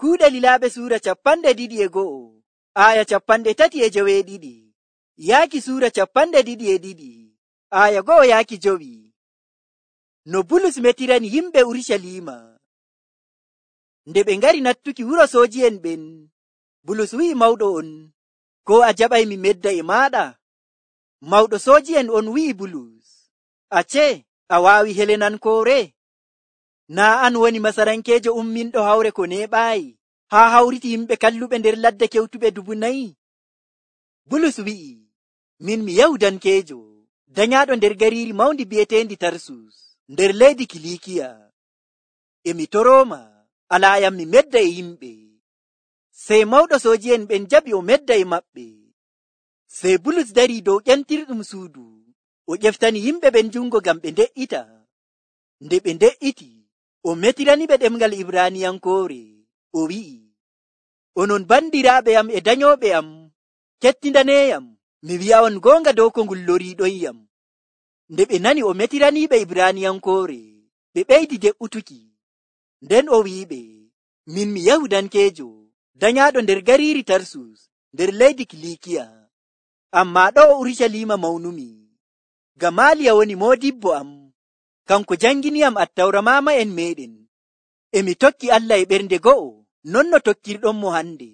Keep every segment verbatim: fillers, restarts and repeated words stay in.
Kuuɗe Lilaaɓe suura capanɗe ɗiɗi e go'o, aaya capanɗe tati e joweeɗiɗi, yaaki suura capanɗe ɗiɗi e ɗiɗi, aaya go'o yaaki jowi. No Bulus metirani yimɓe Urucaliima. Nde ɓe ngari nattuki wuro sooji'en ɓen, Bulus wi'i mawɗo on, ko a jaɓay mi medda e maaɗa? Mawɗo sooji'en on wi'i Bulus, acce, a waawi Helenankoore? Naa an woni Masarankeejo umminɗo hawre ko neeɓaayi, haa hawriti yimɓe kalluɓe nder ladde kewtuɓe dubu nayi? Bulus wi'i, min mi Yahudankeejo, danyaaɗo nder gariiri mawndi bi'eteendi Tarsus, nder leydi Kiliikiya. E mi torooma, alaayam mi medda e yimɓe. Sey mawɗo sooji'en ɓen jaɓi o medda e maɓɓe. Sey Bulus darii dow ƴentirɗum suudu, o ƴeftani yimɓe ɓen jungo ngam ɓe nde'ita. Nde ɓe nde'iti, o metiraniɓe ɗemngal Ibraaniyankoore, o wi'i, onon bandiraaɓe am e danyooɓe am, kettindaneeyam, mi wi'a'on goonga dow ko ngol loriiɗonyam. Nde ɓe nani o metiraniiɓe Ibraaniyankoore, ɓe ɓeydi de'utuki. Nden o wi'iɓe, min mi Yahudankeejo, danyaaɗo nder gariiri Tarsus, nder leydi Kiliikiya. Ammaa ɗo Urucaliima mawnumi. Gamaaliya woni moodibbo am, kanko janginiyam Attawra maama'en meeɗen. E mi tokki Allah e ɓernde go'o, non no tokkirɗon mo hande.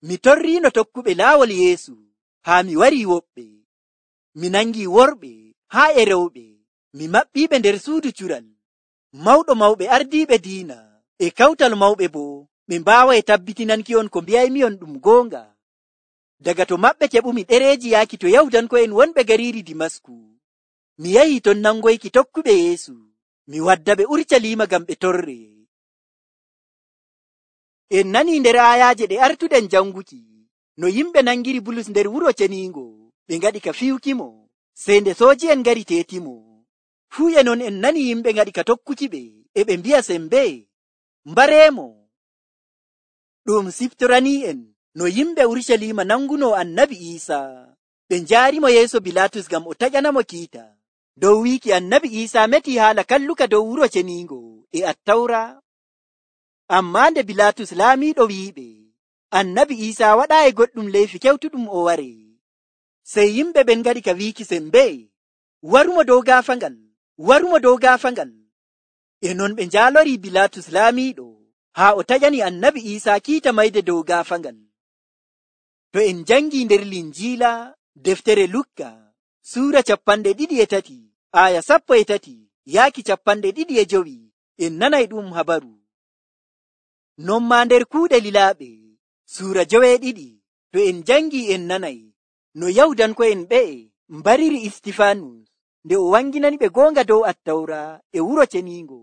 Mi torriino tokkuɓe laawol Yeesu, haa mi warii woɓɓe. Mi nangii worɓe, haa e rewɓe, mi maɓɓiiɓe nder suudu cural. Mawɗo mawɓe ardiiɓe diina, e kawtal mawɓe boo, ɓe mbaaway tabbitinanki'on ko mbiyaymi'on ɗum goonga. Daga to maɓɓe keɓumi ɗereeji yaaki to Yahudanko'en wonɓe gariiri Dimasku. Mi yahii ton nangoyki tokkuɓe Yeesu, mi wadda ɓe Urucaliima ngam ɓe torre. En nanii nder aayaaje ɗe artuɗen janguki, no yimɓe nangiri Bulus nder wuro ceniingo, ɓe ngaɗi ka fiyukimo, sey nde sooji'en ngari teetimo. Fuu e non en nani yimɓe ngaɗi ka tokkuki ɓe, e ɓe mbi'a sembe, mbareemo. Ɗum siftorani'en no yimɓe Urucaliima nanguno Annabi Iisaa. Ɓe njaarimo yeeso Bilaatus ngam o taƴanamo kiita dow wiiki Annabi Iisaa metii haala kalluka dow wuro ceniingo e Attawra. Ammaa nde Bilaatus laamiiɗo wi'iɓe, Annabi Iisaa waɗaayi goɗɗum leyfi kewtuɗum o ware. Sey yimɓe ɓen ngaɗi ka wiiki sembe, warumo dow gaafangal, warumo dow gaafangal. E non ɓe njaalorii Bilaatus laamiiɗo, haa o taƴani Annabi Iisaa kiita mayde dow gaafangal. To en jangii nder Linjiila, deftere Lukka, suura capanɗe ɗiɗi e tati, aaya sappo e tati, yaaki capanɗe ɗiɗi e jowi, en nanay ɗum habaru. Non maa nder kuuɗe lilaaɓe, suura joweeɗiɗi, to en jangii en nanay, no Yahudanko'en ɓe'e mbariri Istifaanus, nde o wanginani ɓe goonga dow Attawra e wuro ceniingo.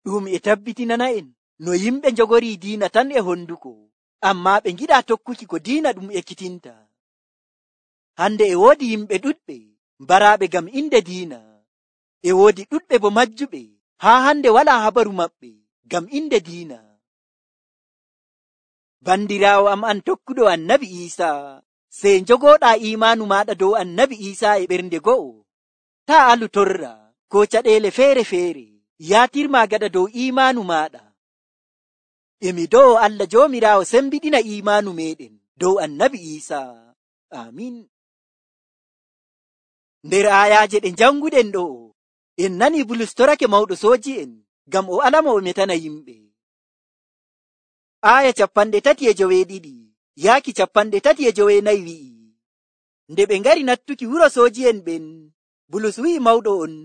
Ɗum e tabbitinana en no yimɓe njogorii diina tan e honduko, ammaa ɓe ngiɗaa tokkuki ko diina ɗum ekkitinta. Hande e woodi yimɓe ɗuɗɓe mbaraaɓe ngam inde diina, e woodi ɗuɗɓe bo majjuɓe, haa hande walaa habaru maɓɓe ngam inde diina. Bandiraawo am an tokkuɗo Annabi Iisaa, sey njogooɗaa iimaanu maaɗa dow Annabi Iisaa e ɓernde go'o. Taa alu torra ko caɗeele feere-feere, yaatirmaa gaɗa dow iimaanu maaɗa. E mi do'o Allah Joomiraawo sembiɗina iimaanu meeɗen dow Annabi Iisaa. Amiin. Nder aayaaje ɗe janguɗen ɗo, en nani Bulus torake mawɗo sooji'en ngam o alamo o metana yimɓe. Aaya capanɗe tati e joweeɗiɗi yaaki capanɗe tati e joweenayi wi'i, nde ɓe ngari nattuki wuro sooji'en ɓen, Bulus wi'i mawɗo on,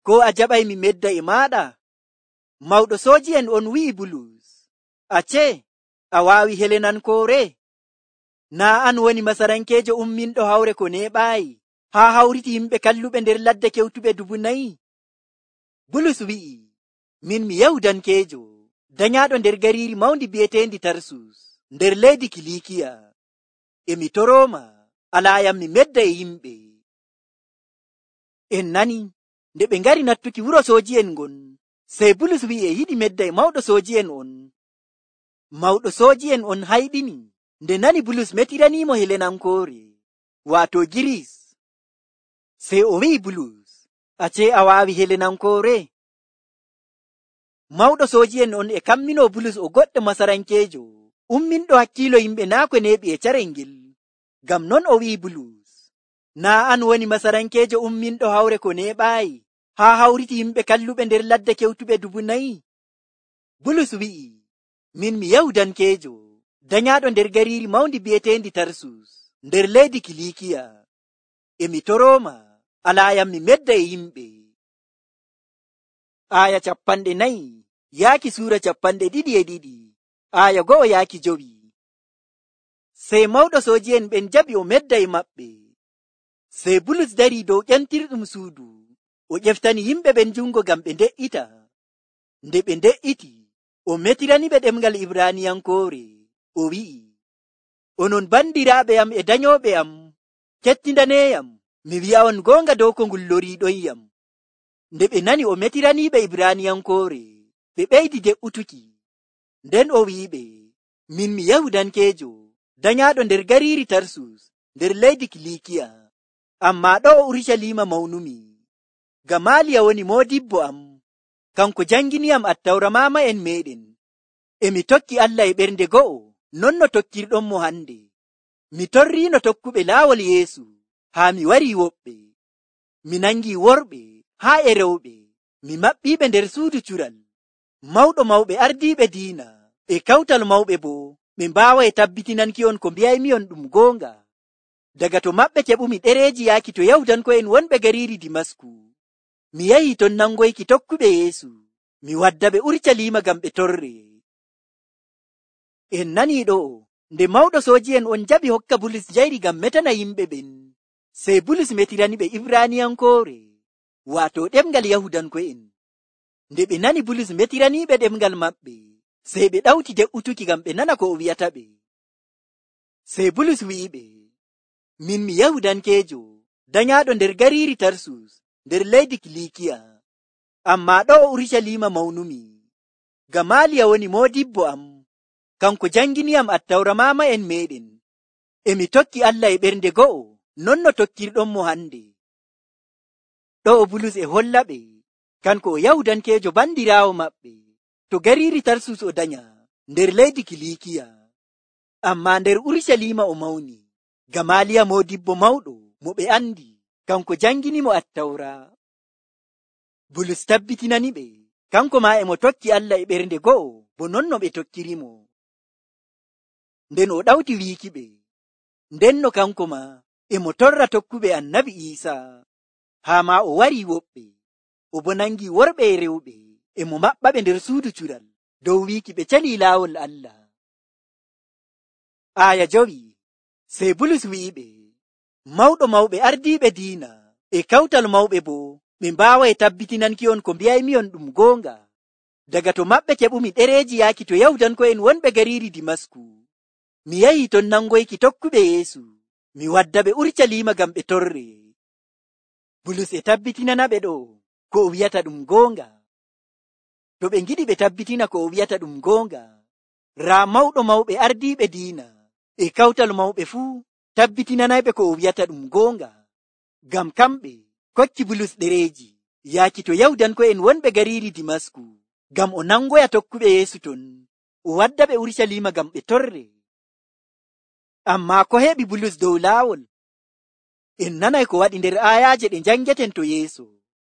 ko a jaɓay mi medda e maaɗa? Mawɗo sooji'en on wi'i Bulus, acce, a waawi Helenankoore? Naa an woni Masarankeejo umminɗo hawre ko neeɓaayi, haa hawriti yimɓe kalluɓe nder ladde kewtuɓe dubu nayi? Bulus wi'i, min mi Yahudankeejo, danyaaɗo nder gariiri mawndi bi'eteendi Tarsus, nder leydi Kiliikiya. E mi torooma, alaayam mi medda e yimɓe. En nani, nde ɓe ngari nattuki wuro sooji'en ngon, sey Bulus wi'i e yiɗi medda e mawɗo sooji'en on. Mawɗo sooji'en on hayɗini nde nani Bulus metiraniimo Helenankoore, waato Giris. Sey o wi'i Bulus, acce a waawi Helenankoore? Mawɗo sooji'en on e kammino Bulus o goɗɗo masarankeejo umminɗo hakkiilo yimɓe naa ko neeɓi e carel ngel. Ngam non o wi'i Bulus, naa an woni masarankeejo umminɗo hawre ko neeɓaayi haa hawriti yimɓe kalluɓe nder ladde kewtuɓe dubu nayi? Bulus wi'i, min mi Yahudankeejo danyaaɗo nder gariiri mawndi bi'eteendi Tarsus nder leydi Kiliikiya. E mi torooma alaayam mi medda e yimɓe. Aaya cappanɗe nayi yaaki suura cappanɗe ɗiɗi e ɗiɗi aaya go'o yaaki jowi. Sey mawɗo sooji'en ɓen jaɓi o medda e maɓɓe. Sey Bulus darii dow ƴentirɗum suudu o ƴeftani yimɓe ɓen jungo ngam ɓe nde'ita. Nde ɓe nde'iti o metiraniɓe ɗemngal Ibraaniyankoore o wi'i, onon bandiraaɓe am e danyooɓe am, kettindaneeyam mi wi'a'on goonga dow ko ngol loriiɗonyam. Nde ɓe nani o metiraniiɓe Ibraaniyankoore ɓe ɓeydi de'utuki. Nden o wi'iɓe, min mi Yahudankeejo danyaaɗo nder gariiri Tarsus nder leydi Kiliikiya, ammaa ɗo Urucaliima mawnumi. Gamaaliya woni moodibbo am, kanko janginiyam Attawra maama'en meeɗen. E mi tokki Allah e ɓernde go'o non no tokkirɗonmo hande. Mi torriino tokkuɓe laawol Yeesu haa mi warii woɓɓe. Mi nangii worɓe haa e rewɓe, mi maɓɓiiɓe nder suudu cural. Mawɗo mawɓe ardiiɓe diina e kawtal mawɓe boo ɓe mbaaway tabbitinanki'on ko mbiyaymi'on ɗum goonga. Daga to maɓɓe keɓumi ɗereeji yaaki to Yahudanko'en wonɓe gariiri Dimasku. Mi yahii ton nangoyki tokkuɓe Yeesu, mi waddaɓe Urucaliima ngam ɓe torre. En nanii ɗo'o, nde mawɗo sooji'en on jaɓi hokka Bulus njayri ngam metana yimɓe ɓen, sey Bulus metiraniɓe Ibraaniyankoore, waato ɗemngal Yahudanko'en. Nde ɓe nani Bulus metiraniiɓe ɗemngal maɓɓe, sey ɓe ɗawti de'utuki ngam ɓe nana ko o wi'ata ɓe. Sey Bulus wi'iɓe, min mi Yahudankeejo danyaaɗo nder gariiri Tarsus nder leydi Kiliikiya, ammaa ɗo Urucaliima mawnumi. Gamaaliya woni moodibbo am, kanko janginiyam Attawra maama'en meeɗen. E mi tokki Allah e ɓernde go'o non no tokkirɗonmo hande. Ɗo Bulus e hollaɓe kanko o Yahudankeejo bandiraawo maɓɓe to gariiri Tarsus o danya nder leydi Kiliikiya, ammaa nder Urucaliima o mawni. Gamaaliya moodibbo mawɗo mo ɓe andi, kanko janginimo Attawra. Bulus tabbitinaniɓe kanko maa e mo tokki Allah e ɓernde go'o bo non no ɓe tokkirimo. Nden o ɗawti wiikiɓe, ndenno kanko maa e mo torra tokkuɓe Annabi Iisaa, haa maa o warii woɓɓe, o bo nangii worɓe e rewɓe e mo maɓɓaɓe nder suudu cural dow wiiki ɓe calii laawol Allah. Aaya jowi. Sey Bulus wi'iɓe, mawɗo mawɓe ardiiɓe diina e kawtal mawɓe boo ɓe mbaaway tabbitinanki'on ko mbiyaymi'on ɗum goonga. Daga to maɓɓe keɓumi ɗereeji yaaki to Yahudanko'en wonɓe gariiri Dimasku. Mi yahii ton nangoyki tokkuɓe Yeesu, mi waddaɓe Urucaliima ngam ɓe torre. Bulus e tabbitinanaɓe ɗo ko o wi'ata ɗum goonga. To ɓe ngiɗi ɓe tabbitina ko o wi'ata ɗum goonga, raa mawɗo mawɓe ardiiɓe diina e kawtal mawɓe fuu tabbitinanayɓe ko o wi'ata ɗum goonga. Ngam kamɓe kokki Bulus ɗereeji yaaki to Yahudanko'en wonɓe gariiri Dimasku, ngam o nangoya tokkuɓe Yeesu ton, o waddaɓe Urucaliima ngam ɓe torre. Ammaa ko heɓi Bulus dow laawol? En nanay ko waɗi nder aayaaje ɗe njangeten to yeeso.